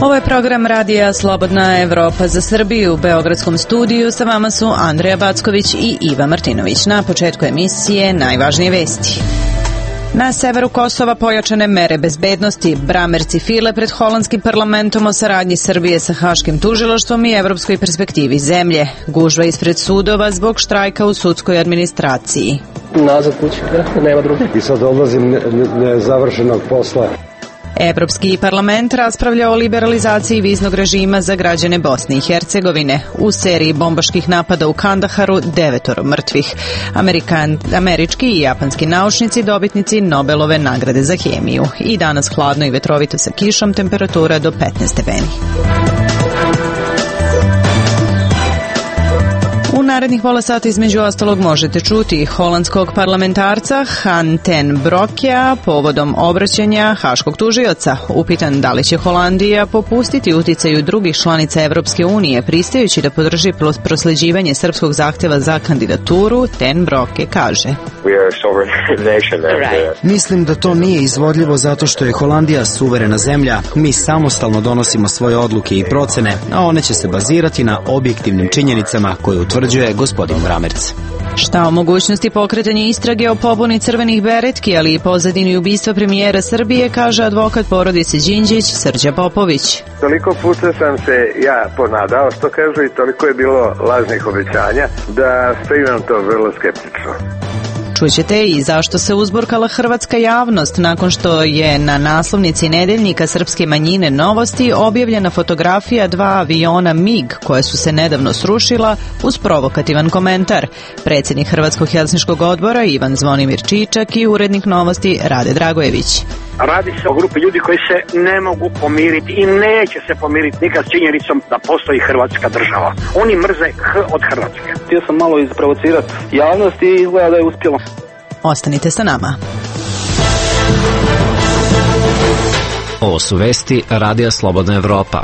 Ovo je program radija Slobodna Evropa za Srbiju. U beogradskom studiju sa vama su Andreja Backović i Iva Martinović. Na početku emisije najvažnije vesti. Na severu Kosova pojačane mere bezbednosti, bramerci file pred holandskim parlamentom o saradnji Srbije sa Haškim tužilaštvom i evropskoj perspektivi zemlje. Gužva ispred sudova zbog štrajka u sudskoj administraciji. Nazad kući, nema druge. I sad odlazim nezavršenog posla. Evropski parlament raspravlja o liberalizaciji viznog režima za građane Bosne i Hercegovine. U seriji bombaških napada u Kandaharu 9 mrtvih. Američki i japanski naučnici dobitnici Nobelove nagrade za hemiju. I danas hladno i vetrovito sa kišom, temperatura do 15 stepeni. U narednih pola sata između ostalog možete čuti holandskog parlamentarca Han ten Brokea povodom obraćanja haškog tužioca. Upitan da li će Holandija popustiti uticaju drugih članica Evropske unije pristajući da podrži prosleđivanje srpskog zahteva za kandidaturu, ten Broke kaže. Mislim da to nije izvodljivo zato što je Holandija suverena zemlja. Mi samostalno donosimo svoje odluke i procene, a one će se bazirati na objektivnim činjenicama koje utvrđuje gospodin Bramerc. Šta o mogućnosti pokretanja istrage o pobuni crvenih beretki, ali i pozadini ubistva premijera Srbije, kaže advokat porodice Đinđić Srđa Popović. Toliko puta sam se ja ponadao, što kažu, i toliko je bilo lažnih obećanja da primam to vrlo skeptično. Čućete i zašto se uzburkala hrvatska javnost nakon što je na naslovnici nedeljnika srpske manjine Novosti objavljena fotografija 2 aviona MiG koje su se nedavno srušila uz provokativan komentar. Predsjednik Hrvatskog helsinškog odbora Ivan Zvonimir Čičak i urednik Novosti Rade Dragojević. Radi se o grupi ljudi koji se ne mogu pomiriti i neće se pomiriti nikad s činjenicom da postoji Hrvatska država. Oni mrze H od Hrvatske. Htio sam malo isprovocirati javnost i izgleda da je uspjelo. Ostanite sa nama. Ovo su vesti Radija Slobodna Evropa.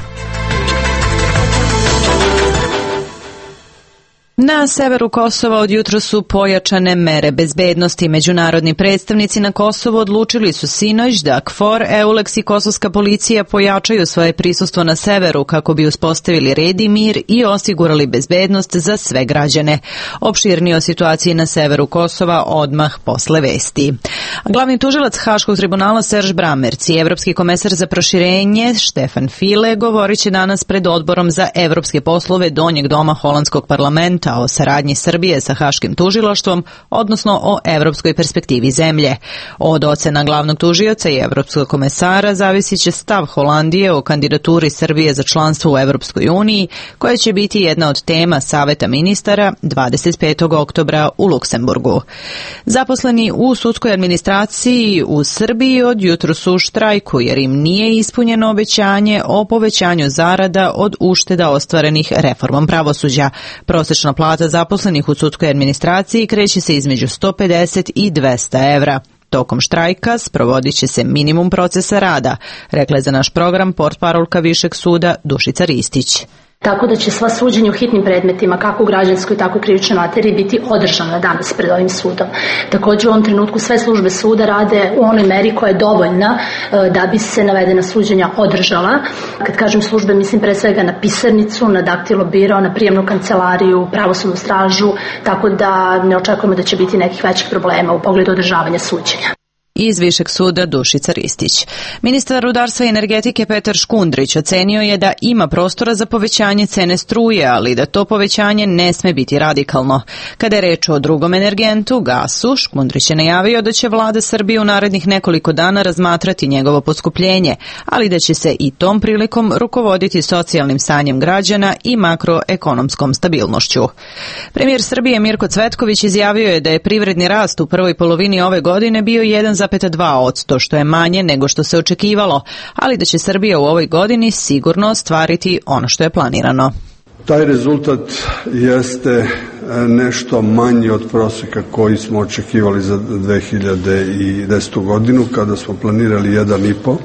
Na severu Kosova od jutros su pojačane mere bezbednosti. Međunarodni predstavnici na Kosovu odlučili su sinoć da KFOR, EULEX i kosovska policija pojačaju svoje prisustvo na severu kako bi uspostavili red i mir i osigurali bezbednost za sve građane. Opširnije o situaciji na severu Kosova odmah posle vesti. Glavni tužilac Haškog tribunala Serž Bramerc i evropski komesar za proširenje Štefan File govorit će danas pred odborom za evropske poslove Donjeg doma holandskog parlamenta o saradnji Srbije sa Haškim tužilaštvom, odnosno o evropskoj perspektivi zemlje. Od ocena glavnog tužioca i evropskog komesara zavisit će stav Holandije o kandidaturi Srbije za članstvo u Evropskoj uniji, koja će biti jedna od tema Saveta ministara 25. oktobra u Luksemburgu. Zaposleni u sudskoj administraciji u Srbiji od jutros su u štrajku jer im nije ispunjeno obećanje o povećanju zarada od ušteda ostvarenih reformom pravosuđa. Prosječna plata zaposlenih u sudskoj administraciji kreće se između 150 i 200 evra. Tokom štrajka sprovodit će se minimum procesa rada, rekla je za naš program portparolka Višeg suda Dušica Ristić. Tako da će sva suđenja u hitnim predmetima, kako u građanskoj, tako i u krivičnoj materiji, biti održana danas pred ovim sudom. Također u ovom trenutku sve službe suda rade u onoj meri koja je dovoljna da bi se navedena suđenja održala. Kad kažem službe, mislim pre svega na pisarnicu, na daktilo biro, na prijemnu kancelariju, pravosudnu stražu, tako da ne očekujemo da će biti nekih većih problema u pogledu održavanja suđenja. Iz Višeg suda Dušica Ristić. Ministar rudarstva i energetike Petar Škundrić ocenio je da ima prostora za povećanje cene struje, ali da to povećanje ne sme biti radikalno. Kada je reč o drugom energentu, gasu, Škundrić je najavio da će vlada Srbije u narednih nekoliko dana razmatrati njegovo poskupljenje, ali da će se i tom prilikom rukovoditi socijalnim stanjem građana i makroekonomskom stabilnošću. Premijer Srbije Mirko Cvetković izjavio je da je privredni rast u prvoj polovini ove godine bio 1,2%, što je manje nego što se očekivalo, ali da će Srbija u ovoj godini sigurno ostvariti ono što je planirano. Taj rezultat jeste nešto manji od prosjeka koji smo očekivali za 2010. godinu kada smo planirali 1,5%,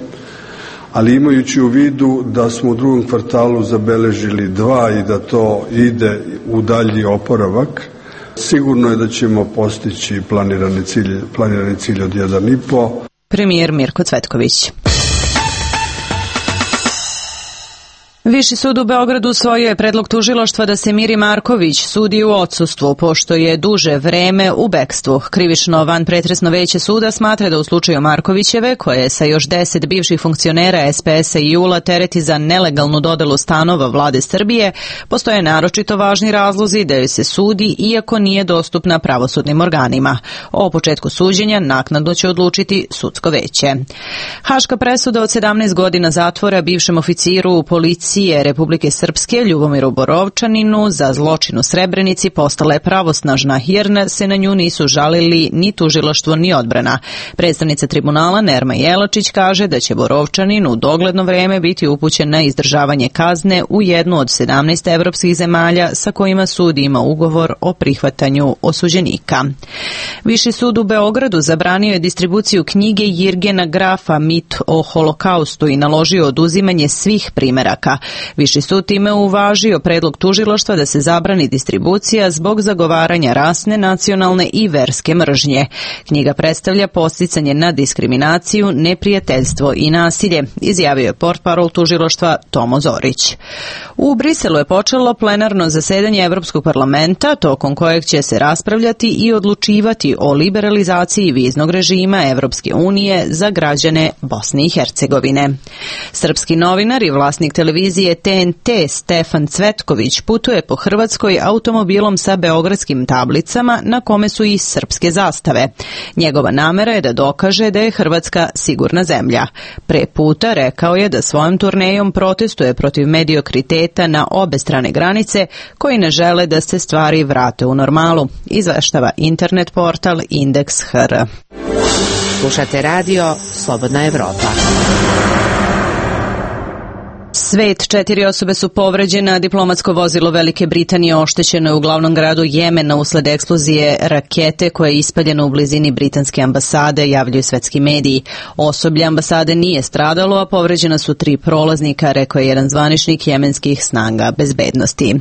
ali imajući u vidu da smo u drugom kvartalu zabeležili 2 i da to ide u dalji oporavak, sigurno je da ćemo postići planirani cilj od 1,5%. Premijer Mirko Cvetković. Viši sud u Beogradu usvojio je predlog tužilaštva da se Miri Marković sudi u odsustvu, pošto je duže vreme u bekstvu. Krivično vanpretresno veće suda smatra da u slučaju Markovićeve, koje je sa još 10 bivših funkcionera SPS-a i JUL-a tereti za nelegalnu dodelu stanova vlade Srbije, postoje naročito važni razlozi da joj se sudi iako nije dostupna pravosudnim organima. O početku suđenja naknadno će odlučiti sudsko veće. Haška presuda od 17 godina zatvora bivšem oficiru u policiji Republike Srpske Ljubomiru Borovčaninu za zločin u Srebrenici postala je pravosnažna jer se na nju nisu žalili ni tužilaštvo ni odbrana. Predstavnica tribunala Nerma Jelačić kaže da će Borovčanin u dogledno vreme biti upućen na izdržavanje kazne u jednu od 17 evropskih zemalja sa kojima sud ima ugovor o prihvatanju osuđenika. Viši sud u Beogradu zabranio je distribuciju knjige Jirgena Grafa Mit o holokaustu i naložio oduzimanje svih primeraka. Viši sud time uvažio predlog tužilaštva da se zabrani distribucija zbog zagovaranja rasne, nacionalne i verske mržnje. Knjiga predstavlja podsticanje na diskriminaciju, neprijateljstvo i nasilje, izjavio je portparol tužilaštva Tomo Zorić. U Briselu je počelo plenarno zasedanje Evropskog parlamenta, tokom kojeg će se raspravljati i odlučivati o liberalizaciji viznog režima Evropske unije za građane Bosne i Hercegovine. Srpski novinar i vlasnik televizije TNT Stefan Cvetković putuje po Hrvatskoj automobilom sa beogradskim tablicama na kome su i srpske zastave. Njegova namera je da dokaže da je Hrvatska sigurna zemlja. Pre puta rekao je da svojom turnejom protestuje protiv mediokriteta na obe strane granice koji ne žele da se stvari vrate u normalu, izveštava internet portal Indeks.hr. Slušate radio Slobodna Evropa. Svet, 4 osobe su povređene, diplomatsko vozilo Velike Britanije oštećeno je u glavnom gradu Jemena usled eksplozije rakete koja je ispaljena u blizini britanske ambasade, javljaju svetski mediji. Osoblje ambasade nije stradalo, a povređena su 3 prolaznika, rekao je jedan zvaničnik jemenskih snaga bezbednosti.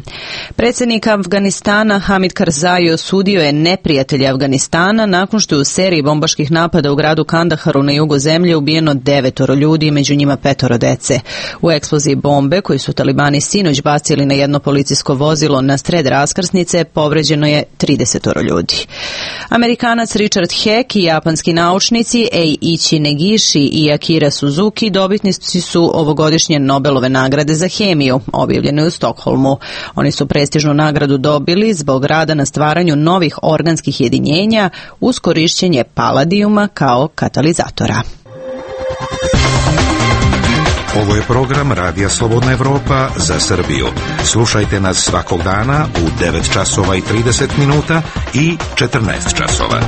Predsjednik Afganistana Hamid Karzai osudio je neprijatelje Afganistana nakon što je u seriji bombaških napada u gradu Kandaharu na jugu zemlje ubijeno 9 ljudi, među njima 5 dece. U eksploziji bombe koji su talibani sinoć bacili na jedno policijsko vozilo na sred raskrsnice povređeno je 30 ljudi. Amerikanac Richard Heck i japanski naučnici Eiichi Negishi i Akira Suzuki dobitnici su ovogodišnje Nobelove nagrade za hemiju, objavljene u Stokholmu. Oni su prestižnu nagradu dobili zbog rada na stvaranju novih organskih jedinjenja uz korišćenje paladijuma kao katalizatora. Ovo je program Radija Slobodna Evropa za Srbiju. Slušajte nas svakog dana u 9 časova i 30 minuta i 14 časova.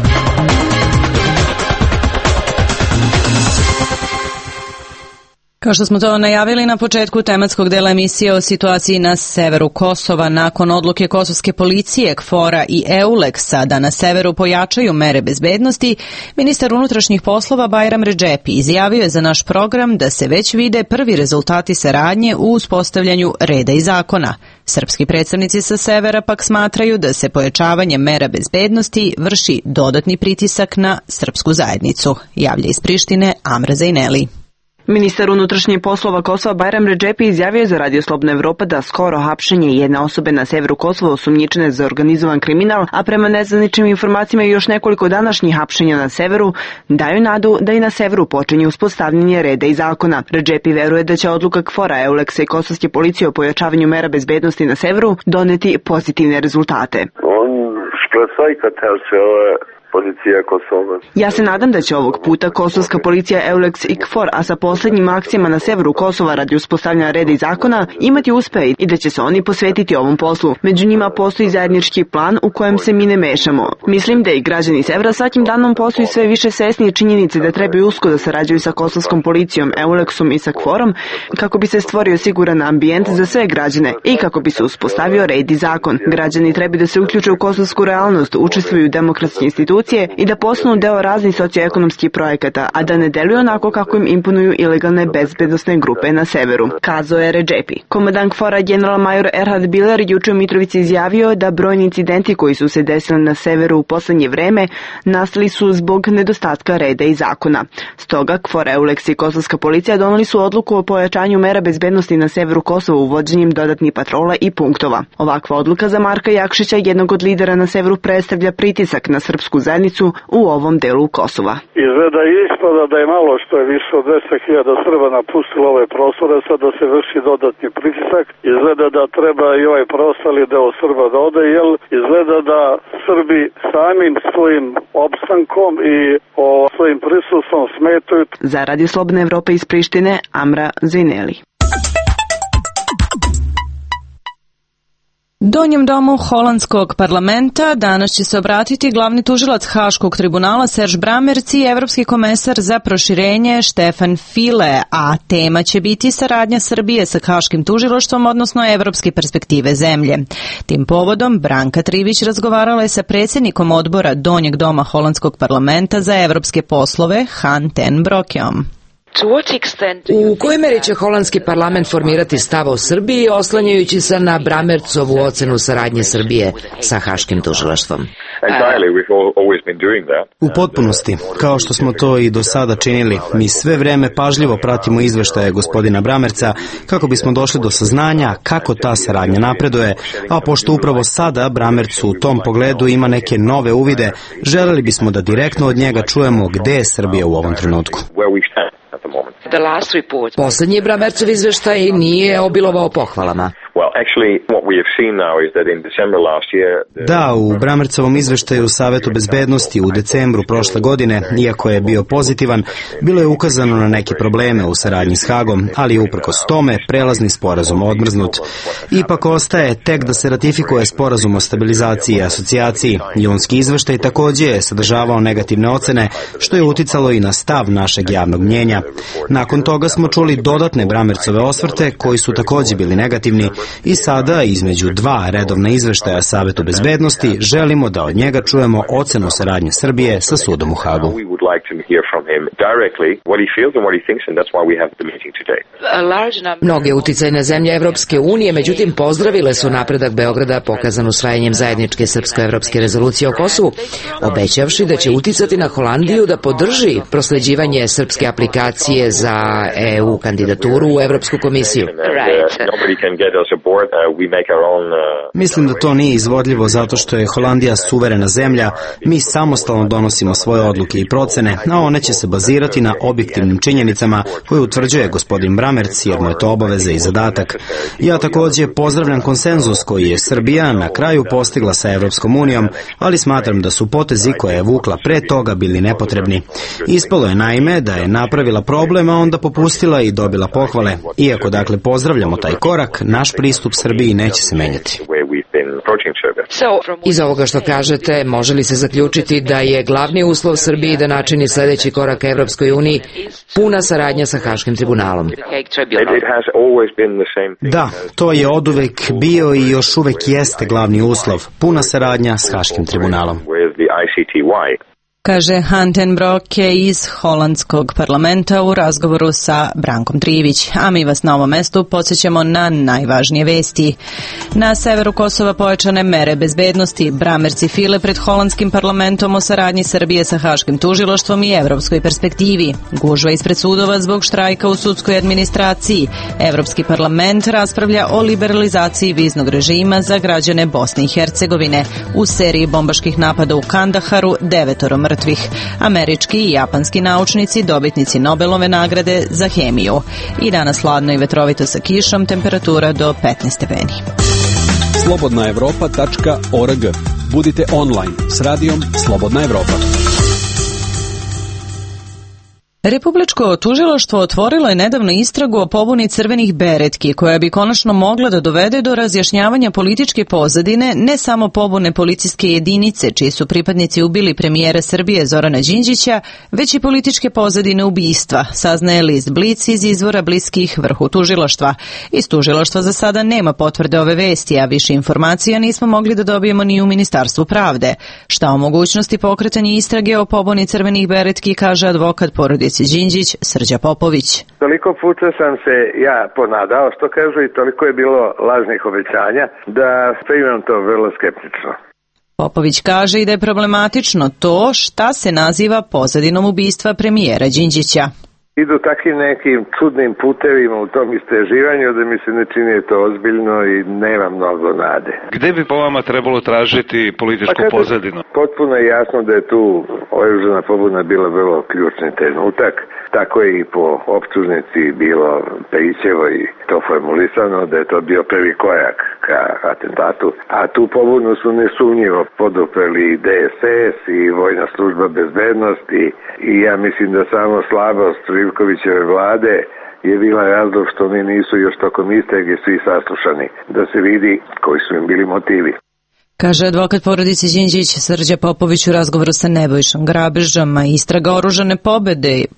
Kao što smo to najavili na početku tematskog dela emisije o situaciji na severu Kosova, nakon odluke kosovske policije, KFOR-a i EULEX-a da na severu pojačaju mere bezbednosti, ministar unutrašnjih poslova Bajram Redžepi izjavio je za naš program da se već vide prvi rezultati saradnje u uspostavljanju reda i zakona. Srpski predstavnici sa severa pak smatraju da se pojačavanjem mera bezbednosti vrši dodatni pritisak na srpsku zajednicu, javlja iz Prištine Amra Zajneli. Ministar unutrašnjih poslova Kosova Bajram Redžepi izjavio je za Radio Slobodna Evropa da skoro hapšenje jedne osobe na severu Kosova osumnjičene za organizovan kriminal, a prema nezvaničnim informacijama i još nekoliko današnjih hapšenja na severu, daju nadu da i na severu počinje uspostavljanje reda i zakona. Redžepi veruje da će odluka KFOR-a, EULEX-a i kosovske policije o pojačavanju mera bezbednosti na severu doneti pozitivne rezultate. Ja se nadam da će ovog puta kosovska policija, EULEX i KFOR, a sa posljednjim akcijama na severu Kosova radi uspostavljanja reda i zakona, imati uspeh i da će se oni posvetiti ovom poslu. Među njima postoji zajednički plan u kojem se mi ne mešamo. Mislim da i građani severa svakim danom postaju sve više svesni činjenice da trebaju usko da sarađuju sa kosovskom policijom, EULEX-om i sa KFOR-om kako bi se stvorio siguran ambijent za sve građane i kako bi se uspostavio red i zakon. Građani trebaju da se uključe u kosovsku realnost, učestvuju u demokratske institucije institucije i da postanu deo raznih socioekonomskih projekata, a da ne deluju onako kako im imponuju ilegalne bezbednosne grupe na severu, kazao je Redžepi. Komandant KFOR-a general-major Erhard Biller juče u Mitrovici izjavio da brojni incidenti koji su se desili na severu u poslednje vreme nastali su zbog nedostatka reda i zakona. Stoga KFOR, EULEX i kosovska policija doneli su odluku o pojačanju mera bezbednosti na severu Kosova uvođenjem dodatnih patrola i punktova. Ovakva odluka za Marka Jakšića, jednog od lidera na severu, predstavlja pritisak na srpsku zajednicu u ovom delu Kosova. Izgleda i ispada da je malo što je više od 200.000 Srba napustilo ove prostore, sad da se vrši dodatni pritisak. Izgleda da treba i ovaj preostali deo Srba da ode, jer izgleda da Srbi samim svojim opstankom i svojim prisustvom smetaju. Za Radio Slobodna Evropa iz Prištine, Amra Zvineli. Donjem domu holandskog parlamenta danas će se obratiti glavni tužilac Haškog tribunala Serge Brammertz i evropski komesar za proširenje Stefan Füle, a tema će biti saradnja Srbije sa Haškim tužilaštvom, odnosno evropske perspektive zemlje. Tim povodom Branka Trivić razgovarala je sa predsjednikom odbora Donjeg doma holandskog parlamenta za evropske poslove Han ten Broekom. U kojoj meri će holandski parlament formirati stav o Srbiji oslanjajući se na Brammertzovu ocenu saradnje Srbije sa Haškim tužilaštvom? U potpunosti, kao što smo to i do sada činili, mi sve vreme pažljivo pratimo izveštaje gospodina Brammertza kako bismo došli do saznanja kako ta saradnja napreduje, a pošto upravo sada Brammertz u tom pogledu ima neke nove uvide, želeli bismo da direktno od njega čujemo gde je Srbija u ovom trenutku. Poslednji Brammertzov izveštaj nije obilovao pohvalama. Da, u Brammertzovom izveštaju Savetu bezbednosti u decembru prošle godine, iako je bio pozitivan, bilo je ukazano na neke probleme u saradnji s Hagom, ali uprkos tome prelazni sporazum odmrznut. Ipak ostaje tek da se ratifikuje sporazum o stabilizaciji i asocijaciji. Junski izveštaj takođe je sadržavao negativne ocene, što je uticalo i na stav našeg javnog mnjenja. Nakon toga smo čuli dodatne Brammertzove osvrte koji su takođe bili negativni i sada između dva redovna izveštaja Savetu bezbednosti želimo da od njega čujemo ocenu saradnje Srbije sa sudom u Hagu. Mnoge uticajne zemlje Evropske unije, međutim, pozdravile su napredak Beograda pokazan usvajanjem zajedničke srpsko-evropske rezolucije o Kosovu, obećavši da će uticati na Holandiju da podrži prosleđivanje srpske aplikacije za EU kandidaturu u Evropsku komisiju. Mislim da to nije izvodljivo zato što je Holandija suverena zemlja, mi samostalno donosimo svoje odluke i procene, a one će se bazirati na objektivnim činjenicama koje utvrđuje gospodin Brammertz, jer mu je to obaveza i zadatak. Ja takođe pozdravljam konsenzus koji je Srbija na kraju postigla sa Evropskom unijom, ali smatram da su potezi koje je vukla pre toga bili nepotrebni. Ispalo je naime da je napravila problem, a onda popustila i dobila pohvale. Iako dakle pozdravljamo taj korak, naš pristup Srbiji neće se menjati. Iz ovoga što kažete, može li se zaključiti da je glavni uslov Srbiji da načini sledeći korak ka Evropskoj uniji puna saradnja sa Haškim tribunalom? Da, to je oduvek bio i još uvek jeste glavni uslov, puna saradnja s Haškim tribunalom. Kaže Han ten Broeke iz holandskog parlamenta u razgovoru sa Brankom Trivić. A mi vas na ovom mestu podsjećamo na najvažnije vesti. Na severu Kosova pojačane mere bezbednosti. Brammertz i Füle pred holandskim parlamentom o saradnji Srbije sa Haškim tužilaštvom i evropskoj perspektivi. Gužva ispred sudova zbog štrajka u sudskoj administraciji. Evropski parlament raspravlja o liberalizaciji viznog režima za građane Bosne i Hercegovine. U seriji bombaških napada u Kandaharu 9 mrtvih. Američki i japanski naučnici dobitnici Nobelove nagrade za hemiju. I danas hladno i vetrovito sa kišom, temperatura do 15 stepeni. slobodnaevropa.org. Budite online s radijom Slobodna Evropa. Republičko tužilaštvo otvorilo je nedavno istragu o pobuni crvenih beretki, koja bi konačno mogla da dovede do razjašnjavanja političke pozadine, ne samo pobune policijske jedinice, čiji su pripadnici ubili premijera Srbije Zorana Đinđića, već i političke pozadine ubistva, saznaje list Blic iz izvora bliskih vrhu tužilaštva. Iz tužilaštva za sada nema potvrde ove vesti, a više informacija nismo mogli da dobijemo ni u Ministarstvu pravde. Šta o mogućnosti pokretanja istrage o pobuni crvenih beretki kaže advokat porodice Đinđić Srđa Popović. Toliko puta sam se ja ponadao, što kažu, i toliko je bilo lažnih obećanja da primam to vrlo skeptično. Popović kaže i da je problematično to šta se naziva pozadinom ubistva premijera Đinđića. Idu takvim nekim čudnim putevima u tom istraživanju da mi se ne čini to ozbiljno i nema mnogo nade. Gde bi po vama trebalo tražiti političku pozadinu? Potpuno je jasno da je tu oružana pobuna bila vrlo ključni trenutak. Tako je i po optužnici bilo Perićevo i to formulisano da je to bio prvi korak ka atentatu. A tu pobunu su nesumnjivo podupreli i DSS i Vojna služba bezbednosti i ja mislim da samo slabost Živkovićeve vlade je bila razlog što oni nisu još tokom istrage svi saslušani, da se vidi koji su im bili motivi. Kaže advokat porodice Đinđić Srđa Popović u razgovoru sa Nebojšom Grabežom, a istraga oružane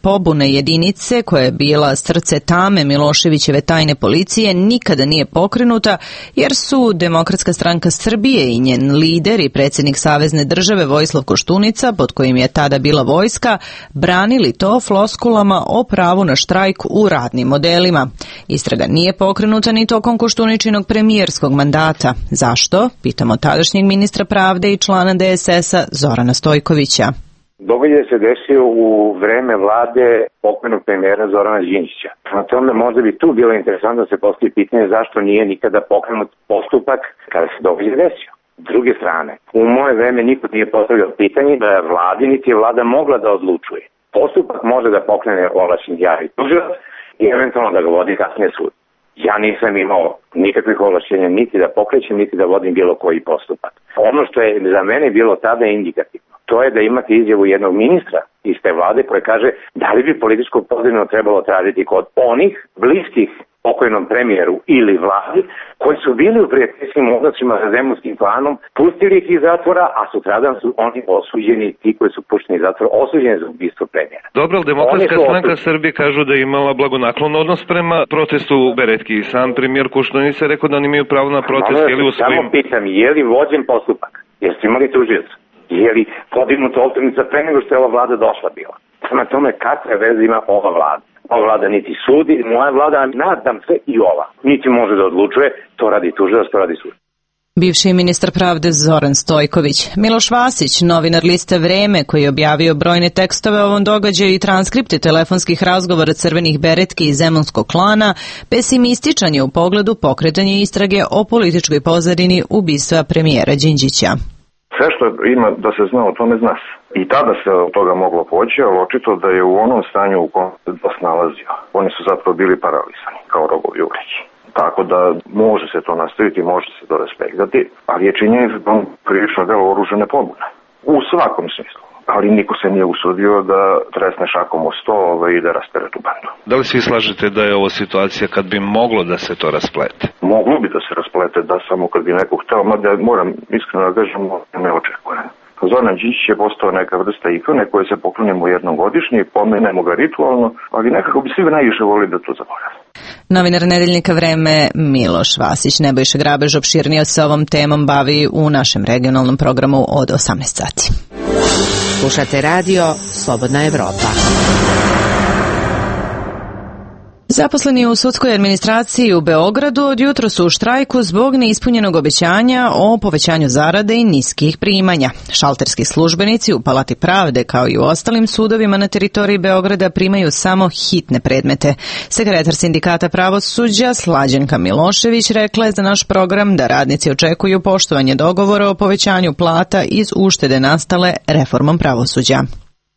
pobune jedinice koja je bila srce tame Miloševićeve tajne policije nikada nije pokrenuta jer su Demokratska stranka Srbije i njen lider i predsjednik Savezne države Vojislav Koštunica, pod kojim je tada bila vojska, branili to floskulama o pravu na štrajk u radnim modelima. Istraga nije pokrenuta ni tokom Koštuničinog premijerskog mandata. Zašto? Pitamo tadašnjeg ministra pravde i člana DSS-a Zorana Stojkovića. Događaj se desio u vreme vlade pokojnog premijera Zorana Đinđića. Na tome možda bi tu bilo interesantno da se postavi pitanje zašto nije nikada pokrenut postupak kada se događaj desio. S druge strane, u moje vreme niko nije postavljao pitanje da je vladi niti je vlada mogla da odlučuje. Postupak može da pokrene ovlašćeni javni tužilac i eventualno da ga vodi kasnije sud. Ja nisam imao nikakvih ovlašćenja niti da pokrećem, niti da vodim bilo koji postupak. Ono što je za mene bilo tada indikativno, to je da imate izjavu jednog ministra iz te vlade koje kaže da li bi političku pozadinu trebalo tražiti kod onih bliskih pokojnom premijeru ili vladi koji su bili u prijateljskim odnosima sa zemunskim klanom, pustili ih iz zatvora, a sutradan su oni osuđeni, ti koji su pušteni iz zatvora, osuđeni za ubistvo premijera. Dobro, Demokratska stranka Srbije kažu da je imala blagonaklon odnos prema protestu u Beretki. Sam premijer Koštunica je rekao da oni imaju pravo na protest. Samo pitam, je li vođen postupak? Jeste imali tužioca? Je li podignuta optužnica pre nego što je ova vlada došla bila? Prema tome, kakve veze ima ova vlada? Ova vlada niti sudi, moja vlada, nadam se i ova, niti može da odlučuje, to radi tužilac, to radi sud. Bivši ministar pravde Zoran Stojković. Miloš Vasić, novinar liste Vreme, koji je objavio brojne tekstove o ovom događaju i transkripte telefonskih razgovora crvenih beretki iz zemunskog klana, pesimističan je u pogledu pokretanja istrage o političkoj pozadini ubistva premijera Đinđića. Sve što ima da se zna o tome zna se. I tada se od toga moglo poći, ali očito da je u onom stanju u kom se DOS nalazio. Oni su zapravo bili paralisani, kao rogovi u vreći. Tako da može se to nastaviti, može se to respektati, ali je činjenica da on krivično delo oružane pobune. U svakom smislu. Ali niko se nije usudio da tresne šakom o sto i da raspere tu bandu. Da li svi slažete da je ovo situacija kad bi moglo da se to rasplete? Moglo bi da se rasplete, da samo kad bi neko hteo, mada moram iskreno da kažem, ne očekujem. Zoran Đinđić je postao neka vrsta ikone koje se poklonimo jednom godišnje i pomenemo ga ritualno, ali nekako bi svi najviše volili da to zaborave. Novinar Nedeljnika Vreme Miloš Vasić. Nebojša Grabež opširnije se ovom temom bavi u našem regionalnom programu od 18 sati. Slušate radio Slobodna Evropa. Zaposleni u sudskoj administraciji u Beogradu od jutra su u štrajku zbog neispunjenog obećanja o povećanju zarade i niskih primanja. Šalterski službenici u Palati pravde kao i u ostalim sudovima na teritoriji Beograda primaju samo hitne predmete. Sekretar sindikata pravosuđa Slađanka Milošević rekla je za naš program da radnici očekuju poštovanje dogovora o povećanju plata iz uštede nastale reformom pravosuđa.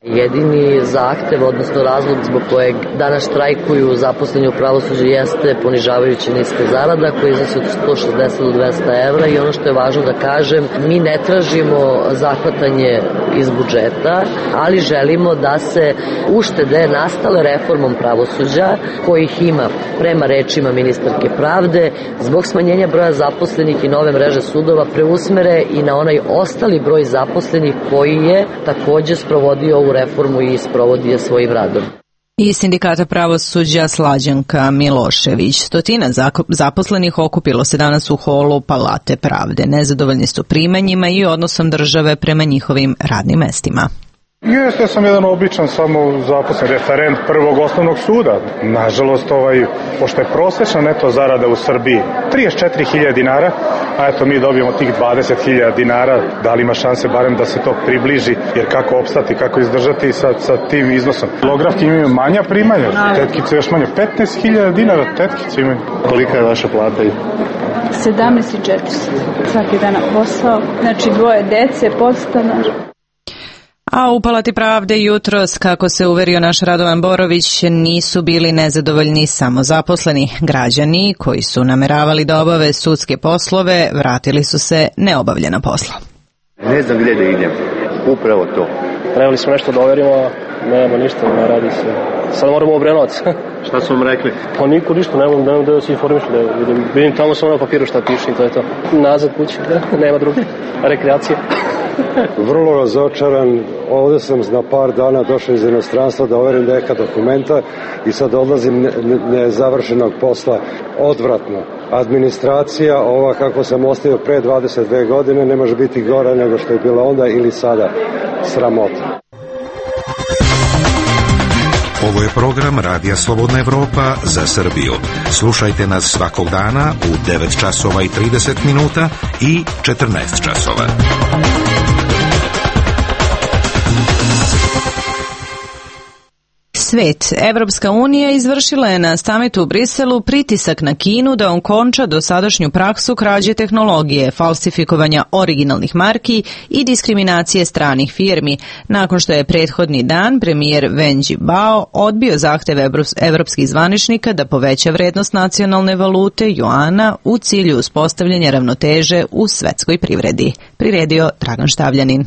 Jedini zahtev, odnosno razlog zbog kojeg danas štrajkuju zaposleni u pravosuđu jeste ponižavajuće niske zarada koje iznosi od 160 do 200 evra i ono što je važno da kažem, mi ne tražimo zahvatanje iz budžeta, ali želimo da se uštede nastale reformom pravosuđa, kojih ima prema rečima ministarke pravde, zbog smanjenja broja zaposlenih i nove mreže sudova preusmere i na onaj ostali broj zaposlenih koji je takođe sprovodio ovu reformu i sprovodi je svojim radom. Iz Sindikata pravosuđa Slađanka Milošević. Stotina zaposlenih okupilo se danas u holu Palate pravde. Nezadovoljni su primanjima i odnosom države prema njihovim radnim mestima. Jeste, ja sam jedan običan samo zaposlen referent prvog osnovnog suda. Nažalost, pošto je prosečna neto zarada u Srbiji 34.000 dinara, a eto mi dobijemo tih 20.000 dinara, da li ima šanse barem da se to približi, jer kako opstati, kako izdržati sa tim iznosom. Kilografki imaju manja primanja, tetkice još manje, 15.000 dinara tetkice imaju. Kolika je vaša plata? 17.400. Svaki dan na posao, znači 2 dece, podstanar. A u Palati pravde jutros, kako se uverio naš Radovan Borović, nisu bili nezadovoljni samo zaposleni. Građani koji su nameravali da obave sudske poslove, vratili su se neobavljena posla. Ne znam gdje da idem, upravo to. Trebali smo nešto da overimo, a nema ništa, ne radi se. Sad moramo u Obrenovac. Šta su vam rekli? Pa niko ništa, nemam da se informišu, vidim tamo samo na papiru šta piše i to je to. Nazad kući, nema druge rekreacije. Vrlo razočaran, ovdje sam na par dana došao iz inostranstva da overim neka dokumenta i sad odlazim nezavršenog posla. Odvratno. Administracija, ova kako sam ostavio pre 22 godine, ne može biti gora nego što je bila onda ili sada. Sramota. Ovo je program Radija Slobodna Evropa za Srbiju. Slušajte nas svakog dana u 9 časova i 30 minuta i 14 časova. Svet. Evropska unija izvršila je na samitu u Briselu pritisak na Kinu da okonča dosadašnju praksu krađe tehnologije, falsifikovanja originalnih marki i diskriminacije stranih firmi, nakon što je prethodni dan premijer Wen Jiabao odbio zahtev evropskih zvaničnika da poveća vrednost nacionalne valute juana u cilju uspostavljanja ravnoteže u svetskoj privredi. Priredio Dragan Štavljanin.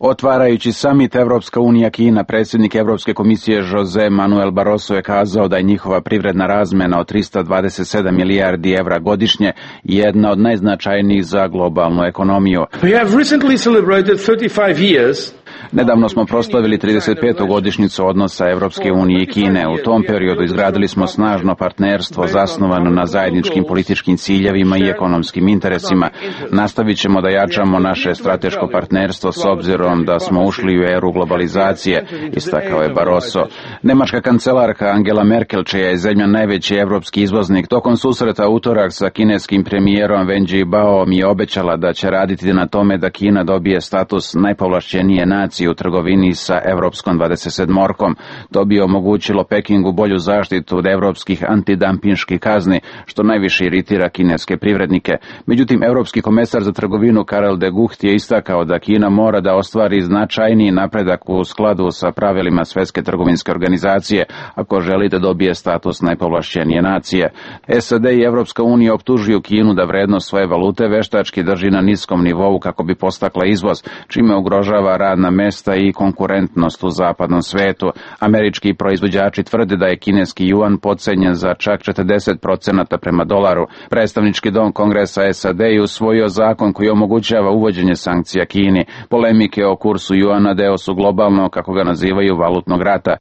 Otvarajući samit Evropska unija Kina, predsjednik Evropske komisije Jose Manuel Barroso je kazao da je njihova privredna razmena od 327 milijardi evra godišnje jedna od najznačajnijih za globalnu ekonomiju. We have recently celebrated 35 years. Nedavno smo proslavili 35. godišnjicu odnosa Evropske unije i Kine. U tom periodu izgradili smo snažno partnerstvo zasnovano na zajedničkim političkim ciljevima i ekonomskim interesima. Nastavit ćemo da jačamo naše strateško partnerstvo s obzirom da smo ušli u eru globalizacije, istakao je Barroso. Nemačka kancelarka Angela Merkel, čija je zemlja najveći evropski izvoznik, tokom susreta utorak sa kineskim premijerom Wen Jiabao mi je obećala da će raditi na tome da Kina dobije status najpovlašćenije nacije u trgovini sa Evropskom 27-orkom. To bi omogućilo Pekingu bolju zaštitu od evropskih antidampinških kazni, što najviše iritira kineske privrednike. Međutim, Evropski komesar za trgovinu Karel de Gucht je istakao da Kina mora da ostvari značajniji napredak u skladu sa pravilima Svetske trgovinske organizacije ako želi da dobije status najpovlašćenije nacije. SAD i Evropska unija optužuju Kinu da vrednost svoje valute veštački drži na niskom nivou kako bi podstakla izvoz, čime ugrožava radna mesta i konkurentnost u zapadnom svetu. Američki proizvođači tvrde da je kineski juan podcenjen za čak 40% prema dolaru. Predstavnički dom Kongresa SAD je usvojio zakon koji omogućava uvođenje sankcija Kini. Polemike o kursu juana deo su globalno, kako ga nazivaju, valutnog rata.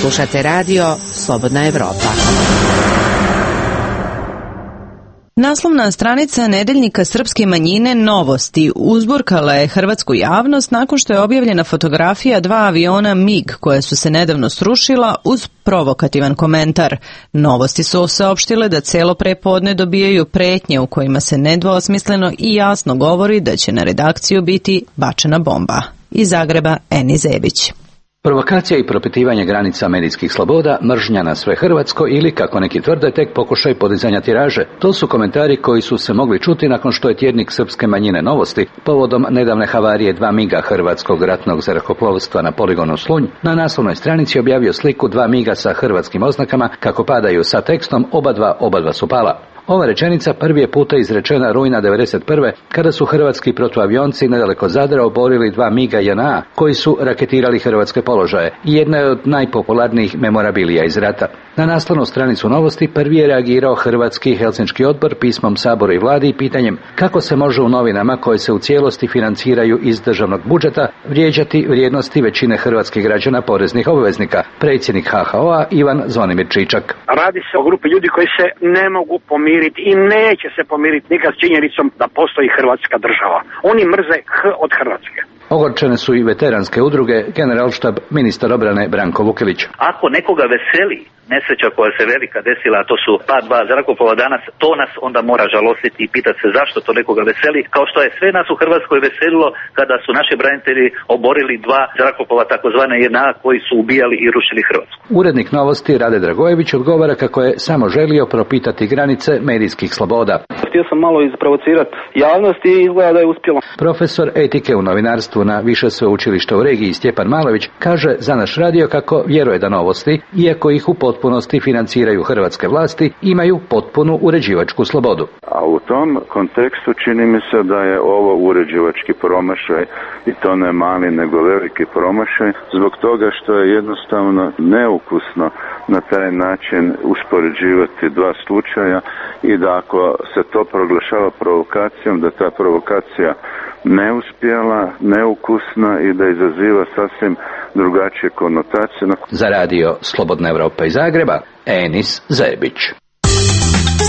Slušate radio Slobodna Evropa. Naslovna stranica nedeljnika srpske manjine Novosti uzburkala je hrvatsku javnost nakon što je objavljena fotografija 2 aviona MiG koja su se nedavno srušila uz provokativan komentar. Novosti su saopštile da celo prepodne dobijaju pretnje u kojima se nedvosmisleno i jasno govori da će na redakciju biti bačena bomba. Iz Zagreba, Eni Zebić. Provokacija i propitivanje granica medijskih sloboda, mržnja na sve hrvatsko ili, kako neki tvrde, tek pokušaj podizanja tiraže. To su komentari koji su se mogli čuti nakon što je tjednik srpske manjine Novosti, povodom nedavne havarije 2 miga hrvatskog ratnog zrakoplovstva na poligonu Slunj, na naslovnoj stranici objavio sliku 2 miga sa hrvatskim oznakama kako padaju sa tekstom oba dva su pala. Ova rečenica prvi je puta izrečena rujna 1991. kada su hrvatski protuavionci nedaleko Zadra oborili 2 miga JNA koji su raketirali hrvatske položaje i jedna je od najpopularnijih memorabilija iz rata. Na naslovnu stranicu Novosti prvi je reagirao Hrvatski Helsinški odbor pismom Saboru i vladi i pitanjem kako se može u novinama koje se u cijelosti financiraju iz državnog budžeta vrijeđati vrijednosti većine hrvatskih građana poreznih obveznika. Predsjednik HHO-a Ivan Zvonimir Čičak. Radi se o grupi ljudi koji se ne mogu pomiriti i neće se pomiriti nikad s činjenicom da postoji Hrvatska država. Oni mrze od Hrvatske. Ogorčene su i veteranske udruge, generalštab, ministar obrane Branko Vukelić. Ako nekoga veseli nesreća koja se velika desila, a to su pad 2 zrakoplova danas, to nas onda mora žalostiti i pitati se zašto to nekoga veseli, kao što je sve nas u Hrvatskoj veselilo kada su naši branitelji oborili 2 zrakoplova takozvane JNA koji su ubijali i rušili Hrvatsku. Urednik Novosti Rade Dragojević odgovara kako je samo želio propitati granice medijskih sloboda. Htio sam malo isprovocirati javnost i izgleda da je uspjelo. Profesor etike u novinarstvu na više sveučilišta u regiji Stjepan Malović kaže za naš radio kako vjeruje da Novosti, iako ih u potpunosti financiraju hrvatske vlasti, imaju potpunu uređivačku slobodu. A u tom kontekstu čini mi se da je ovo uređivački promašaj i to ne mali nego veliki promašaj zbog toga što je jednostavno neukusno na taj način uspoređivati 2 slučaja i da ako se to proglašava provokacijom, da ta provokacija neuspjela, neukusna i da izaziva sasvim drugačije konotacije. Za radio Slobodna Evropa iz Zagreba, Enis Zebić.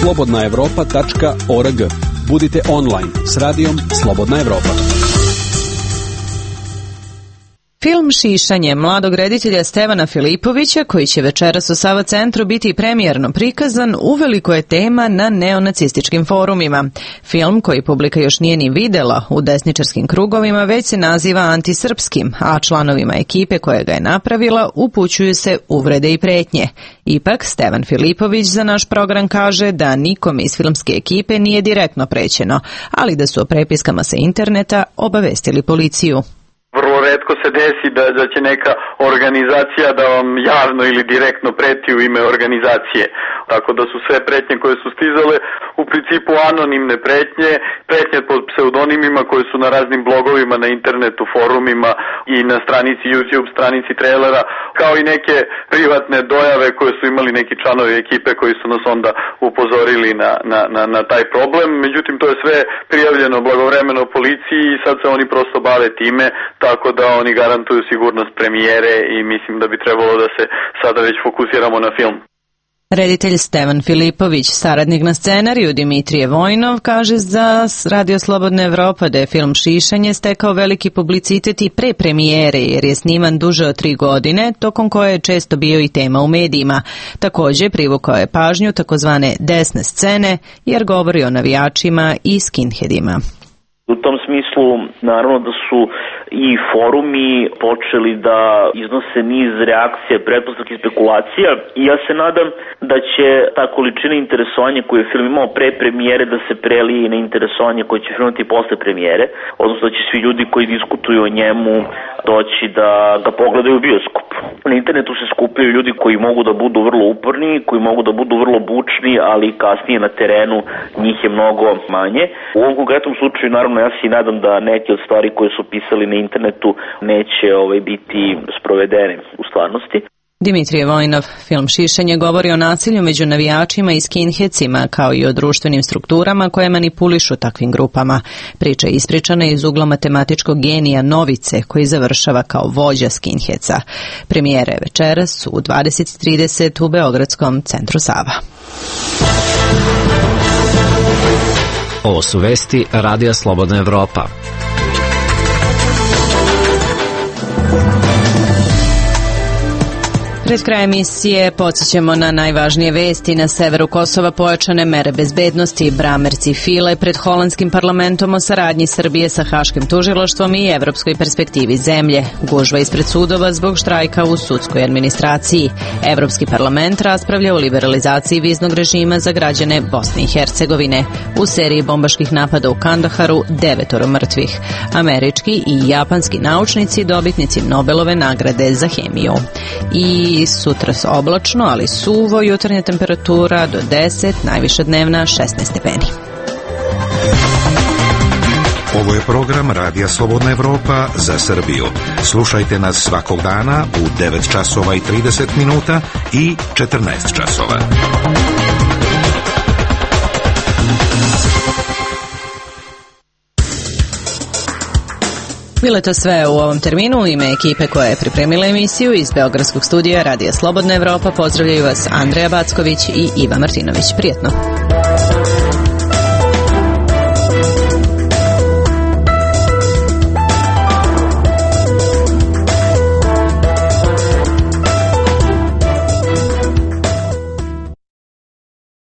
slobodnaevropa.org. Budite online s radijom Slobodna Evropa. Film Šišanje mladog reditelja Stevana Filipovića, koji će večeras u Sava centru biti premijerno prikazan, uveliko je tema na neonacističkim forumima. Film, koji publika još nije ni videla u desničarskim krugovima, već se naziva antisrpskim, a članovima ekipe koja ga je napravila upućuju se uvrede i pretnje. Ipak, Stevan Filipović za naš program kaže da nikom iz filmske ekipe nije direktno prećeno, ali da su o prepiskama sa interneta obavestili policiju. Vrlo retko se desi da će neka organizacija da vam javno ili direktno preti u ime organizacije. Tako da su sve pretnje koje su stizale u principu anonimne pretnje pod pseudonimima koje su na raznim blogovima, na internetu, forumima i na stranici YouTube, stranici trailera, kao i neke privatne dojave koje su imali neki članovi ekipe koji su nas onda upozorili na taj problem. Međutim, to je sve prijavljeno blagovremeno policiji i sad se oni prosto bave time, tako da oni garantuju sigurnost premijere i mislim da bi trebalo da se sada već fokusiramo na film. Reditelj Stevan Filipović, saradnik na scenariju Dimitrije Vojnov, kaže za Radio Slobodna Evropa da je film Šišanje stekao veliki publicitet i pre premijere jer je sniman duže od 3 godine, tokom koje je često bio i tema u medijima. Također privukao je pažnju takozvane desne scene jer govori o navijačima i skinheadima. U tom smislu, naravno da su i forumi počeli da iznose niz reakcija, pretpostavki, spekulacija i ja se nadam da će ta količina interesovanja koju je film imao pre premijere da se prelije na interesovanje koje će film imati posle premijere, odnosno da će svi ljudi koji diskutuju o njemu doći da ga pogledaju u bioskopu. Na internetu se skupljaju ljudi koji mogu da budu vrlo uporni, koji mogu da budu vrlo bučni, ali kasnije na terenu njih je mnogo manje. U ovom konkretnom slučaju, naravno, ja se nadam da neke od stvari koje su pisali na internetu neće biti sprovedene u stvarnosti. Dimitrije Vojnov, film Šišanje govori o nasilju među navijačima i skinheadcima, kao i o društvenim strukturama koje manipulišu takvim grupama. Priča je ispričana iz ugla matematičkog genija Novice, koji završava kao vođa skinheadsa. Premijera je večeras u 20:30 u Beogradskom centru Sava. Ovo su vesti Radija Slobodna Evropa. Pred kraj emisije podsjećamo na najvažnije vesti. Na severu Kosova pojačane mere bezbednosti. Bramerci file pred holandskim parlamentom o saradnji Srbije sa Haškim tužilaštvom i evropskoj perspektivi zemlje. Gužva ispred sudova zbog štrajka u sudskoj administraciji. Evropski parlament raspravlja o liberalizaciji viznog režima za građane Bosne i Hercegovine. U seriji bombaških napada u Kandaharu 9 mrtvih. Američki i japanski naučnici dobitnici Nobelove nagrade za hemiju. I sutra oblačno, ali suvo, jutarnja temperatura do 10, najviša dnevna 16 stepeni. Ovo je program Radija Slobodna Evropa za Srbiju. Slušajte nas svakog dana u 9 časova i 30 minuta i 14 časova. Bilo je to sve u ovom terminu. U ime ekipe koja je pripremila emisiju iz Beogradskog studija Radija Slobodna Evropa pozdravljaju vas Andreja Backović i Iva Martinović. Prijetno!